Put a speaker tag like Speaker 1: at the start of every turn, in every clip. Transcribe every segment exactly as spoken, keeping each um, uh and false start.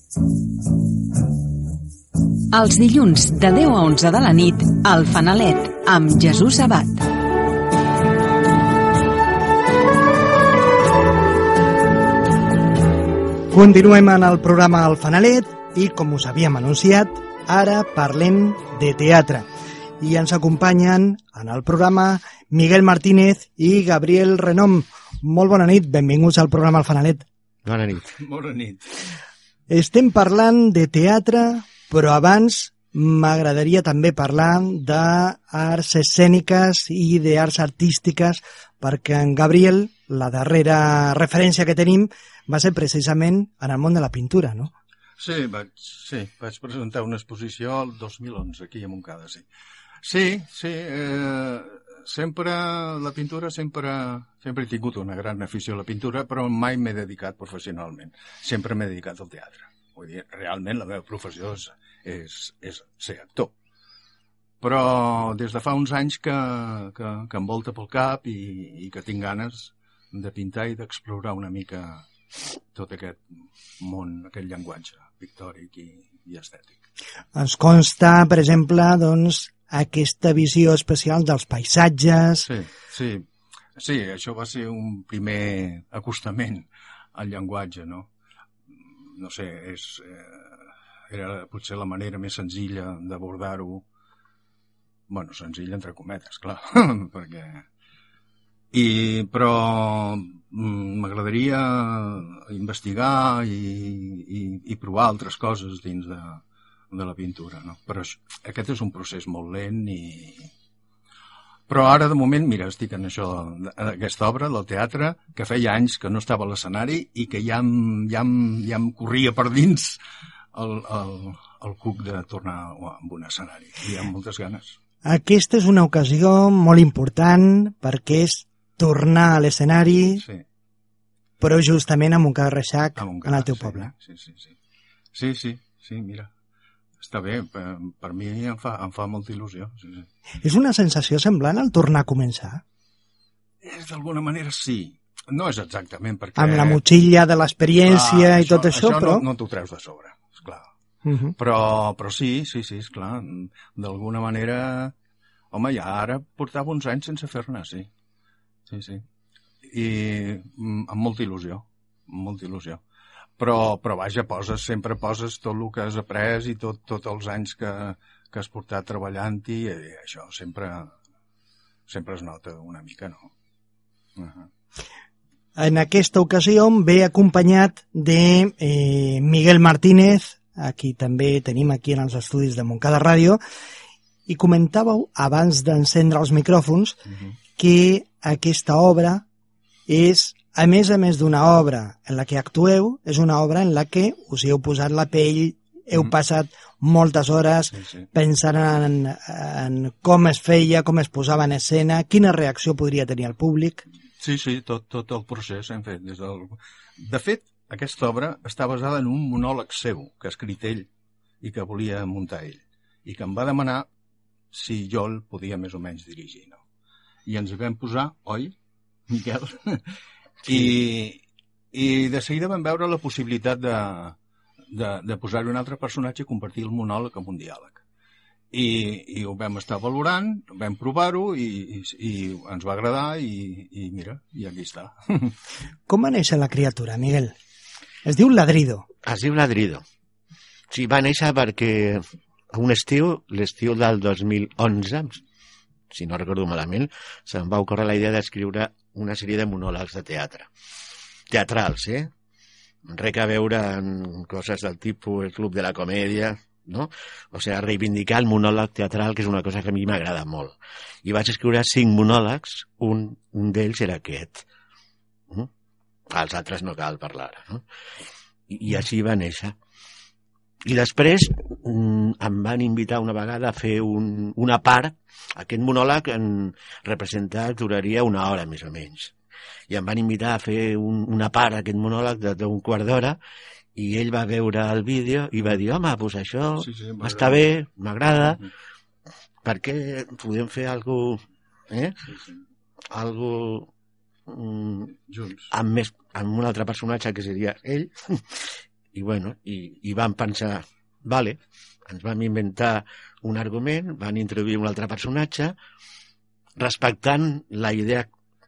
Speaker 1: Els dilluns de deu a onze de la nit, al Fanalet, amb Jesús Abat.
Speaker 2: Continuem en el programa El Fanalet i, com us havíem anunciat, ara parlem de teatre. I ens acompanyen en el programa Miguel Martínez i Gabriel Renom. Molt bona nit, benvinguts al programa El Fanalet.
Speaker 3: Bona nit.
Speaker 4: Bona nit.
Speaker 2: Estem parlant de teatre, però abans m'agradaria també parlar d'arts escèniques i d'arts artístiques, perquè en Gabriel, la darrera referència que tenim, va ser precisament en el món de la pintura, no?
Speaker 4: Sí, vaig, sí, vaig presentar una exposició el dos mil onze, aquí a Montcada, sí. Sí, sí, eh, sempre la pintura, sempre, sempre he tingut una gran afició a la pintura, però mai m'he dedicat professionalment. Sempre m'he dedicat al teatre. Vull dir, realment la meva professió és, és, és ser actor. Però des de fa uns anys que, que, que em volta pel cap i, i que tinc ganes de pintar i d'explorar una mica tot aquest món, aquest llenguatge pictòric i, i estètic.
Speaker 2: Ens consta, per exemple, doncs, aquesta visió especial dels paisatges.
Speaker 4: Sí, sí, sí, això va ser un primer acostament al llenguatge, no? No sé, és, eh, era potser la manera més senzilla d'abordar-ho. Bueno, senzilla entre cometes, clar, perquè... I, però m'agradaria investigar i, i, i provar altres coses dins de, de la pintura, no? Però aquest és un procés molt lent i... Però ara, de moment, mira, estic en això, en aquesta obra, del teatre, que feia anys que no estava a l'escenari i que ja em, ja em, ja em corria per dins el, el, el cuc de tornar amb un escenari. I amb moltes ganes.
Speaker 2: Aquesta és una ocasió molt important perquè és tornar a l'escenari,
Speaker 4: sí.
Speaker 2: Però justament a Montcada Reixac, en el teu
Speaker 4: sí,
Speaker 2: poble.
Speaker 4: Sí, sí, sí. Sí, sí, sí, mira. Està bé, per, per mi em fa, em fa molta il·lusió. Sí, sí.
Speaker 2: És una sensació semblant al tornar a començar?
Speaker 4: És d'alguna manera sí. No és exactament perquè...
Speaker 2: Amb la motxilla de l'experiència i tot això,
Speaker 4: això
Speaker 2: però...
Speaker 4: no, no t'ho treus de sobre, esclar.
Speaker 2: Uh -huh.
Speaker 4: Però, però sí, sí, sí, esclar. D'alguna manera... Home, ja ara portava uns anys sense fer-ne, sí. Sí, sí. I amb molta il·lusió, amb molta il·lusió. Però, però vaja, poses, sempre poses tot el que has après i tot, tots els anys que, que has portat treballant-hi, i això sempre, sempre es nota una mica, no? Uh -huh.
Speaker 2: En aquesta ocasió ve acompanyat de eh, Miguel Martínez, a qui també tenim aquí en els estudis de Montcada Ràdio, i comentàveu, abans d'encendre els micròfons, uh -huh. que aquesta obra és, a més a més d'una obra en la que actueu, és una obra en la que us hi heu posat la pell, heu mm. passat moltes hores
Speaker 4: sí, sí. pensant
Speaker 2: en, en com es feia, com es posava en escena, quina reacció podria tenir el públic.
Speaker 4: Sí, sí, tot, tot el procés hem fet. Des del... De fet, aquesta obra està basada en un monòleg seu, que ha escrit ell i que volia muntar ell, i que em va demanar si jo el podia més o menys dirigir, no? I ens hi vam posar, oi, Miquel? Sí. I, I de seguida vam veure la possibilitat de, de, de posar-hi un altre personatge i convertir el monòleg en un diàleg. I, i ho vam estar valorant, vam provar-ho i, i, i ens va agradar i, i mira, i aquí està.
Speaker 2: Com va néixer la criatura, Miguel? Es diu Ladrido.
Speaker 3: Es diu Ladrido. Sí, va néixer perquè un estiu, l'estiu del dos mil onze, si no recordo malament, se'm va ocórrer la idea d'escriure una sèrie de monòlegs de teatre. Teatrals, eh? Res a veure en coses del tipus el Club de la Comèdia, no? O sigui, reivindicar el monòleg teatral, que és una cosa que a mi m'agrada molt. I vaig escriure cinc monòlegs, un, un d'ells era aquest. Mm? Els altres no cal parlar, no? I, i així va néixer. I després mm, em van invitar una vegada a fer un, una part. Aquest monòleg en representat duraria una hora més o menys. I em van invitar a fer un, una part d'aquest monòleg d'un quart d'hora i ell va veure el vídeo i va dir, home, doncs això sí, sí, està bé, m'agrada, per què podem fer alguna cosa, eh? Sí, sí. Algo mm,
Speaker 4: junts.
Speaker 3: Amb, més, amb un altre personatge que seria ell i, bueno, i, i van pensar, vale, ens vam inventar un argument, van introduir un altre personatge, respectant la idea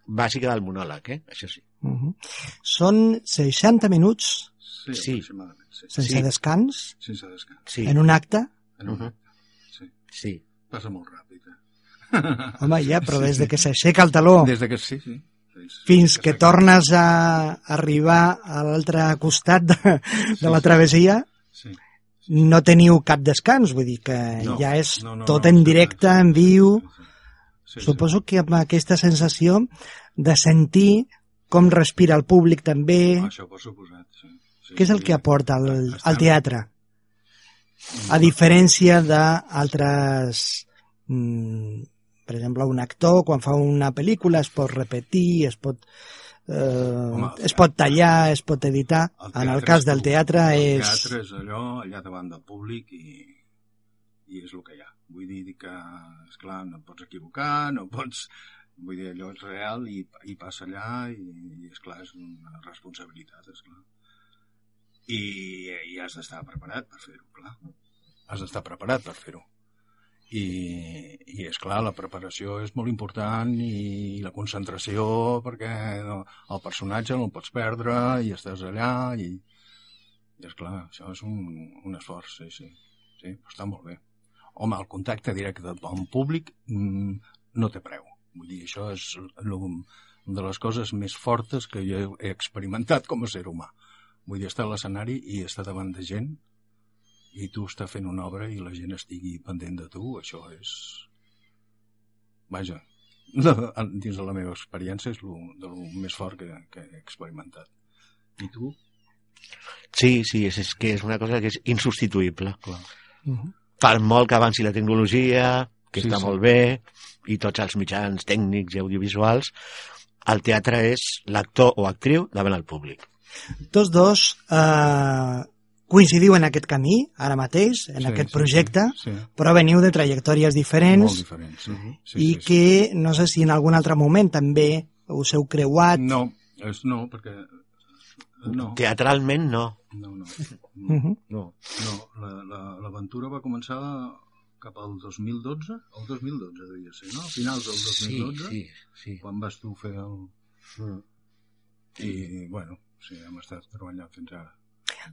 Speaker 3: bàsica del monòleg, eh? Això sí.
Speaker 2: Uh-huh. Són seixanta minuts
Speaker 4: Sí,
Speaker 3: Sí.
Speaker 4: aproximadament, sí.
Speaker 2: sense
Speaker 3: Sí.
Speaker 2: descans
Speaker 4: Sense descans.
Speaker 3: Sí.
Speaker 2: en un acte.
Speaker 4: En un
Speaker 3: Uh-huh.
Speaker 4: acte, sí.
Speaker 3: Sí.
Speaker 4: Passa molt ràpid, eh?
Speaker 2: Home, ja, però des de que s'aixeca el taló
Speaker 4: Des de que sí, sí. Fins,
Speaker 2: fins que tornes a arribar a l'altre costat de, de la travessia,
Speaker 4: Sí.
Speaker 2: no teniu cap descans, vull dir que
Speaker 4: No,
Speaker 2: ja és
Speaker 4: no, no,
Speaker 2: tot
Speaker 4: no,
Speaker 2: en
Speaker 4: sí,
Speaker 2: directe,
Speaker 4: sí,
Speaker 2: en viu.
Speaker 4: Sí, sí. Sí,
Speaker 2: Suposo que amb aquesta sensació de sentir com respira el públic també,
Speaker 4: sí. Això per suposat, sí. Sí,
Speaker 2: què és el
Speaker 4: sí.
Speaker 2: que aporta el,
Speaker 4: Estem-
Speaker 2: el teatre, a diferència d'altres, mm, per exemple, un actor quan fa una pel·lícula es pot repetir, es pot eh,
Speaker 4: Home,
Speaker 2: es pot tallar, es pot editar. En el
Speaker 4: teatre
Speaker 2: cas
Speaker 4: és
Speaker 2: del
Speaker 4: tu.
Speaker 2: teatre
Speaker 4: El
Speaker 2: és...
Speaker 4: teatre és allò, allà davant del públic i, i és el que hi ha. Vull dir que, esclar, no et pots equivocar, no pots... Vull dir, allò és real i, i passa allà i, i esclar, és una responsabilitat, esclar. I, i has d'estar preparat per fer-ho, clar. Has d'estar preparat per fer-ho. I, i és clar, la preparació és molt important i la concentració perquè no, el personatge no el pots perdre i estàs allà i, i és clar, això és un, un esforç, sí, sí, sí, però està molt bé. Home, el contacte directe amb el públic mm, no té preu. Vull dir, això és una de les coses més fortes que jo he experimentat com a ser humà. Vull dir, estar a l'escenari i estar davant de gent i tu estàs fent una obra i la gent estigui pendent de tu, això és... Vaja, dins de la meva experiència és el més fort que, que he experimentat. I tu?
Speaker 3: Sí, sí, és, és que és una cosa que és insubstituïble.
Speaker 4: Clar.
Speaker 2: Uh-huh.
Speaker 3: Per molt que avanci la tecnologia, que
Speaker 4: Sí,
Speaker 3: està
Speaker 4: sí.
Speaker 3: molt bé, i tots els mitjans tècnics i audiovisuals, el teatre és l'actor o actriu davant el públic.
Speaker 2: Tots dos eh, coincidiu en aquest camí, ara mateix, en
Speaker 4: Sí,
Speaker 2: aquest
Speaker 4: sí,
Speaker 2: projecte,
Speaker 4: sí, sí.
Speaker 2: però veniu de trajectòries diferents
Speaker 4: Molt diferents, sí. sí
Speaker 2: i
Speaker 4: sí, sí.
Speaker 2: que no sé si en algun altre moment també us heu creuat.
Speaker 4: No, és no, perquè... No,
Speaker 3: Teatralment, no.
Speaker 4: no, no.
Speaker 2: Uh
Speaker 4: No,
Speaker 2: -huh.
Speaker 3: no.
Speaker 4: no la- la- l'aventura va començar cap al dos mil dotze, el dos mil dotze devia ser, no? A finals del dos mil dotze,
Speaker 3: Sí, sí, sí.
Speaker 4: quan vas tu fer el...
Speaker 3: Mm.
Speaker 4: I, bueno, sí, hem estat treballant fins ara.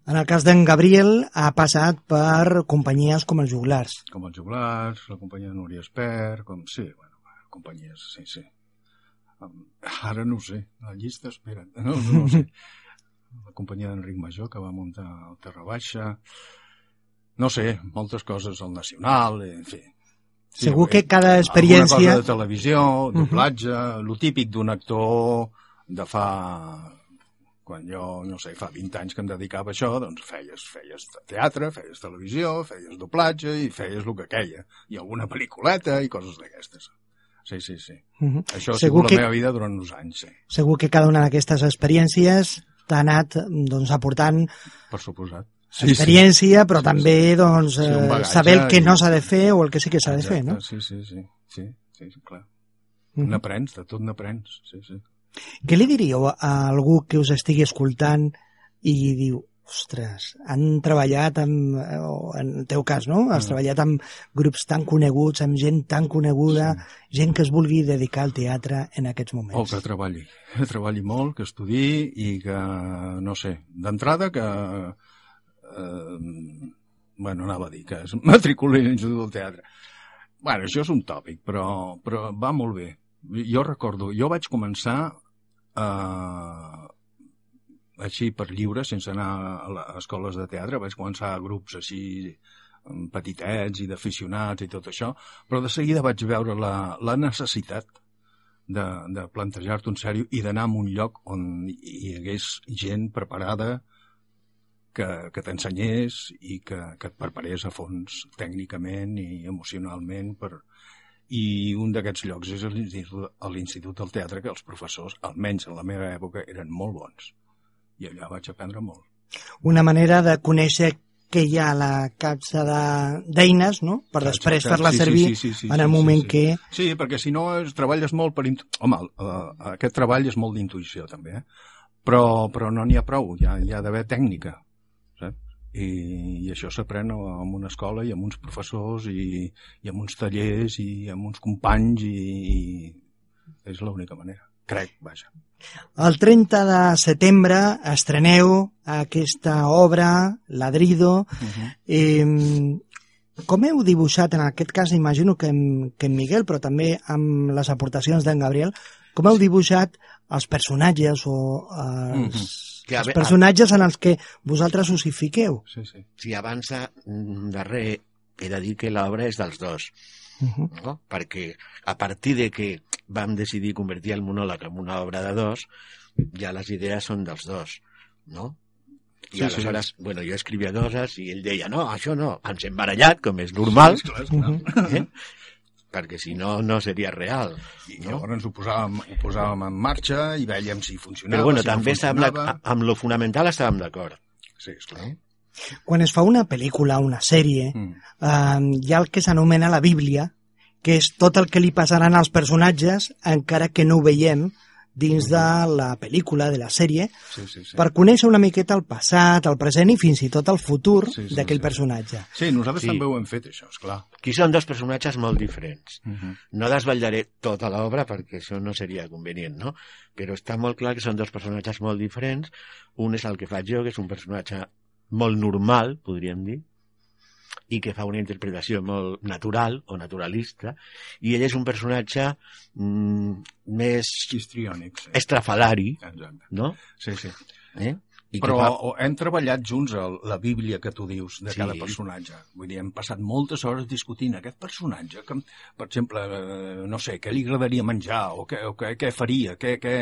Speaker 2: En el cas d'en Gabriel ha passat per companyies com els Joglars.
Speaker 4: Com els Joglars, la companyia de Núria Espert, com... Sí, bueno, companyies, sí, sí. Um, Ara no ho sé, la llista, espera't, no, no ho sé. La companyia d'Enric Major, que va muntar el Terra Baixa... No sé, moltes coses al Nacional, en fi. Sí,
Speaker 2: Segur que
Speaker 4: eh,
Speaker 2: cada experiència...
Speaker 4: Alguna cosa de televisió, doblatge, uh -huh. lo típic d'un actor de fa... Quan jo, no sé, fa vint anys que em dedicava a això, doncs feies, feies teatre, feies televisió, feies doblatge i feies el que queia. I alguna pel·lículeta i coses d'aquestes. Sí, sí, sí.
Speaker 2: Uh -huh.
Speaker 4: Això ha
Speaker 2: Segur
Speaker 4: sigut
Speaker 2: que...
Speaker 4: la meva vida durant uns anys, sí.
Speaker 2: Segur que cada una d'aquestes experiències t'ha anat doncs, aportant
Speaker 4: Per suposat.
Speaker 2: experiència, però
Speaker 4: Sí,
Speaker 2: també
Speaker 4: sí.
Speaker 2: doncs,
Speaker 4: Sí, un
Speaker 2: eh,
Speaker 4: bagatge
Speaker 2: saber el que
Speaker 4: i-
Speaker 2: no s'ha de fer o el que sí que s'ha de fer,
Speaker 4: Exacte,
Speaker 2: no?
Speaker 4: Sí, sí, sí. Sí, sí, sí clar.
Speaker 2: Uh -huh.
Speaker 4: N'aprens, de tot n'aprens, sí, sí.
Speaker 2: Què li diríeu a algú que us estigui escoltant i diu, ostres, han treballat amb, o en el teu cas, no? Has
Speaker 4: Mm.
Speaker 2: treballat amb grups tan coneguts, amb gent tan coneguda,
Speaker 4: Sí.
Speaker 2: gent que es vulgui dedicar al teatre en aquests
Speaker 4: O
Speaker 2: moments.
Speaker 4: que treballi, que treballi molt, que estudiï i que, no sé, d'entrada que... Eh, bueno, anava a dir que es matriculi a l'Institut del Teatre. Bueno, això és un tòpic, però, però va molt bé. Jo recordo, jo vaig començar eh, així per lliure, sense anar a les escoles de teatre, vaig començar a grups així petitets i d'aficionats i tot això, però de seguida vaig veure la, la necessitat de, de plantejar-te un sèrio i d'anar a un lloc on hi hagués gent preparada que, que t'ensenyés i que, que et preparés a fons tècnicament i emocionalment per... I un d'aquests llocs és l'Institut, l'Institut del Teatre, que els professors, almenys en la meva època, eren molt bons. I allà vaig aprendre molt.
Speaker 2: Una manera de conèixer què hi ha a la capsa de- d'eines, no? Per després
Speaker 4: Exacte.
Speaker 2: fer-la
Speaker 4: Sí, sí,
Speaker 2: servir
Speaker 4: sí, sí, sí,
Speaker 2: en el
Speaker 4: sí,
Speaker 2: moment
Speaker 4: sí, sí.
Speaker 2: que...
Speaker 4: Sí, perquè si no és, treballes molt per... Intu... Home, uh, aquest treball és molt d'intuïció, també, eh? Però, però no n'hi ha prou, hi ha, hi ha d'haver tècnica. saps? I, i això s'aprèn en una escola i amb uns professors i, i amb uns tallers i amb uns companys i, i és l'única manera, crec, vaja.
Speaker 2: El trenta de setembre estreneu aquesta obra, Ladrido. Uh-huh. eh, com heu dibuixat, en aquest cas imagino que en, que en Miguel, però també amb les aportacions d'en Gabriel, com heu dibuixat els personatges o els... Uh-huh. Els personatges en els que vosaltres us hi fiqueu.
Speaker 3: Sí, sí. Sí, abans de, darrer he de dir que l'obra és dels dos. Uh-huh. No? Perquè a partir de que vam decidir convertir el monòleg en una obra de dos, ja les idees són dels dos, no? I sí, aleshores, sí. bueno, jo escrivia coses i ell deia, no, això no, ens hem barallat, com és normal, sí, clar, clar. Eh? perquè si no, no seria real.
Speaker 4: I no? Llavors ho posàvem, ho posàvem en marxa i vèiem si funcionava,
Speaker 3: Però bueno,
Speaker 4: si
Speaker 3: també
Speaker 4: no funcionava.
Speaker 3: Amb, amb lo fonamental estàvem d'acord.
Speaker 4: Sí, esclar.
Speaker 2: Eh? Quan es fa una pel·lícula, una sèrie, mm. eh, hi ha el que s'anomena la Bíblia, que és tot el que li passaran als personatges, encara que no ho veiem dins de la pel·lícula, de la sèrie, sí, sí, sí. per conèixer una miqueta el passat, el present i fins i tot el futur sí, sí, d'aquell sí. personatge.
Speaker 4: Sí, nosaltres sí. també ho hem fet, això, esclar.
Speaker 3: Aquí són dos personatges molt diferents. Uh
Speaker 4: Mhm.
Speaker 3: -huh. No desvetllaré tota l'obra perquè això no seria convenient, no? Però està molt clar que són dos personatges molt diferents. Un és el que faig jo, que és un personatge molt normal, podríem dir, i que fa una interpretació molt natural o naturalista, i ell és un personatge mm, més
Speaker 4: histriònic, sí.
Speaker 3: estrafalari,
Speaker 4: Exacte.
Speaker 3: no?
Speaker 4: Sí, sí.
Speaker 3: Eh? I
Speaker 4: Però
Speaker 3: fa...
Speaker 4: hem treballat junts el, la Bíblia que tu dius de
Speaker 3: Sí.
Speaker 4: cada personatge. Vull dir, hem passat moltes hores discutint aquest personatge, que, per exemple, eh, no sé, què li agradaria menjar, o què, o què, què faria, què, què...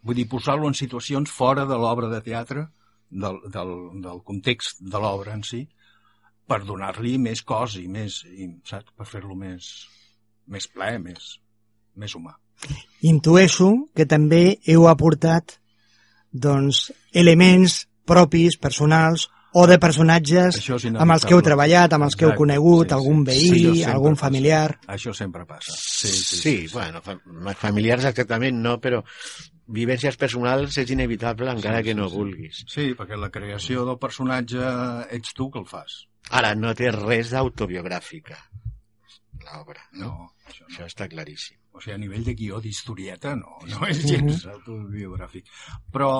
Speaker 4: Vull dir, posar-lo en situacions fora de l'obra de teatre, del, del, del context de l'obra en si, per donar-li més cos i més, i, saps? Per fer-lo més, més ple, més, més humà.
Speaker 2: Intueixo que també heu aportat doncs, elements propis, personals, o de personatges amb els que heu treballat, amb els que heu conegut, sí, algun veí, sí, algun familiar...
Speaker 4: Passa. Això sempre passa. Sí, sí, sí,
Speaker 3: sí,
Speaker 4: sí,
Speaker 3: bueno, familiars exactament no, però vivències personals és inevitable encara sí, que no
Speaker 4: sí,
Speaker 3: vulguis.
Speaker 4: Sí, perquè la creació del personatge ets tu que el fas.
Speaker 3: Ara, no té res d'autobiogràfica, l'obra. No,
Speaker 4: no, això, no.
Speaker 3: Això està claríssim.
Speaker 4: O sigui, a nivell de guió, d'historieta, no, no és gens autobiogràfic. Però,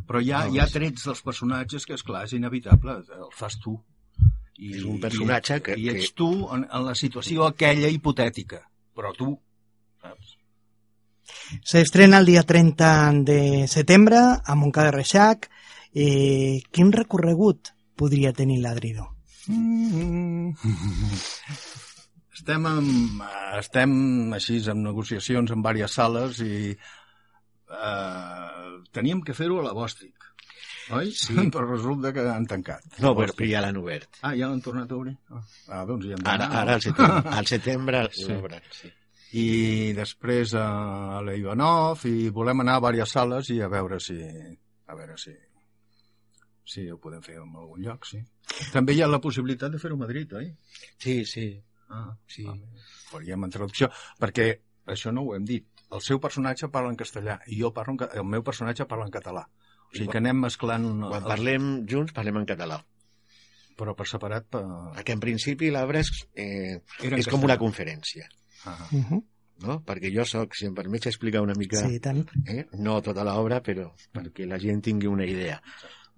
Speaker 4: però hi ha, hi ha trets dels personatges que, esclar, és inevitable, el fas tu.
Speaker 3: I, és un personatge
Speaker 4: i,
Speaker 3: que...
Speaker 4: I ets tu en, en la situació aquella hipotètica, però tu, saps?
Speaker 2: S'estrena el dia trenta de setembre a Montcada de Reixac. Eh, quin recorregut podria tenir Ladrido?
Speaker 4: Mm. Estem, amb, estem així en negociacions en diverses sales i eh, teníem que fer-ho a la Bòstic, oi?
Speaker 3: Sí.
Speaker 4: Però resulta que han tancat.
Speaker 3: No, però ja l'han obert.
Speaker 4: Ah, ja l'han tornat a obrir? Ah, doncs ja han
Speaker 3: Ara, ara al setembre, al setembre
Speaker 4: sí.
Speaker 3: l'obren, sí.
Speaker 4: I després a la Ivanov i volem anar a diverses sales i a veure si a veure si si ho podem fer en algun lloc, sí. També hi ha la possibilitat de fer-ho a Madrid, oi?
Speaker 3: Sí, sí.
Speaker 4: Ah,
Speaker 3: sí.
Speaker 4: Ah, faríem en traducció, perquè això no ho hem dit. El seu personatge parla en castellà i jo parlo en, el meu personatge parla en català. O sigui que anem mesclant...
Speaker 3: Quan els... parlem junts, parlem en català.
Speaker 4: Però per separat... Per...
Speaker 3: Perquè en principi l'obra és, eh, és com una conferència.
Speaker 4: Ah.
Speaker 2: Uh -huh.
Speaker 3: No? Perquè jo soc, si em permets explicar una mica...
Speaker 2: Sí, tant.
Speaker 3: Eh? No tota l'obra, però perquè la gent tingui una idea.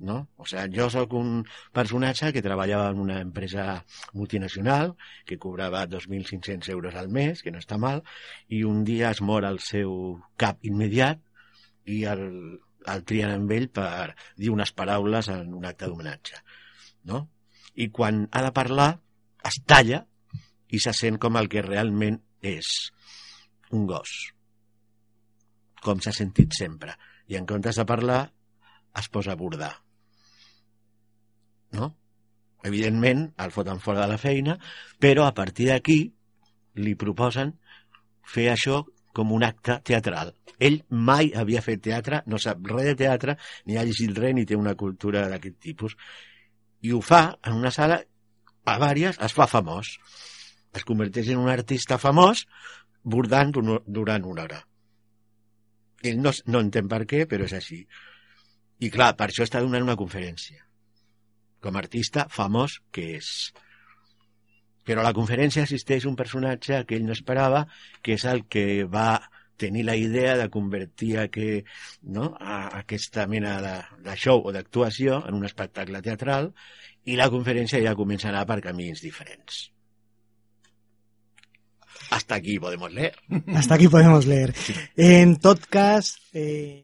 Speaker 3: No? O sigui, jo sóc un personatge que treballava en una empresa multinacional que cobrava dos mil cinc-cents euros al mes, que no està mal, i un dia es mor el seu cap immediat i el, el trien amb ell per dir unes paraules en un acte d'homenatge. No? I quan ha de parlar, es talla i se sent com el que realment és un gos. Com s'ha sentit sempre. I en comptes de parlar, es posa a bordar. No? Evidentment, el foten fora de la feina, però a partir d'aquí li proposen fer això com un acte teatral. Ell mai havia fet teatre, no sap res de teatre, ni ha llegit res, ni té una cultura d'aquest tipus. I ho fa en una sala, a vàries, es fa famós. Es converteix en un artista famós bordant durant una hora. Ell no, no entén per què, però és així. I clar, per això està donant una conferència. com a artista famós que és. Però a la conferència assisteix un personatge que ell no esperava, que és el que va tenir la idea de convertir aquest, no, a aquesta mena de, de show o d'actuació en un espectacle teatral, i la conferència ja comença a anar per camins diferents. Hasta aquí podemos leer.
Speaker 2: Hasta aquí podemos leer. En tot cas... Eh...